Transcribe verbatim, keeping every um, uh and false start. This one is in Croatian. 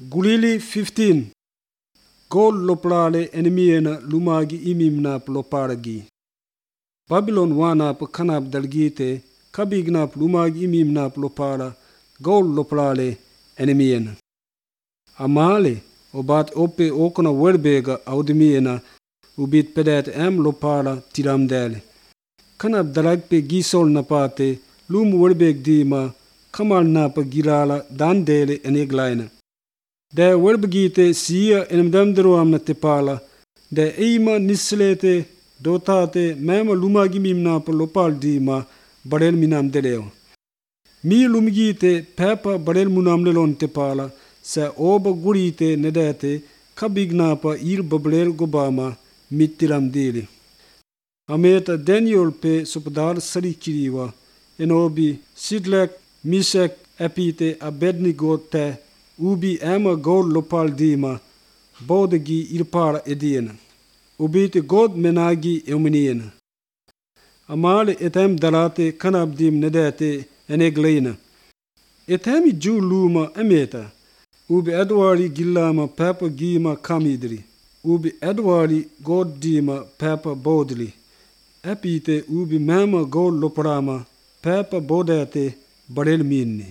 Gulili fifteen. Gol loplale enemiena lumagi imimnap loparagi. Babylon wanap kanap dalgite kabignap lumagi imimnap lopara gol loplale enemiena. Amale obat ope okona werbega audemiena ubit pedet em lopara tiramdele. Kanap dalagpe gisol napate lum werbeg dima kamal napa girala dandele eneglaina. De werbegite siya enemdamderoamna tepala, de eima nislete dotate mema lumagi mimnapa lopal dima barel minam deleo. Mi lumgite pepa barel munam lelon tepala, sa oba gurite nedete kabignapa ir babrel gobama mittiram dili. Ameta Daniel pe sopadar sarikiriwa, enobi Sidlek, Misek, epite Abednego te, ubi ema god lopal dima, bodegi irpara ediena. Ubite god menagi eumeniena. Amale etem dalate kanabdim nedete enegleina. Etemi ju luma emeta. Ubi edwari gillama papa gima kamidri. Ubi edwari god dima papa bodli. Epite ubi mema god loparama papa bodete barel minni.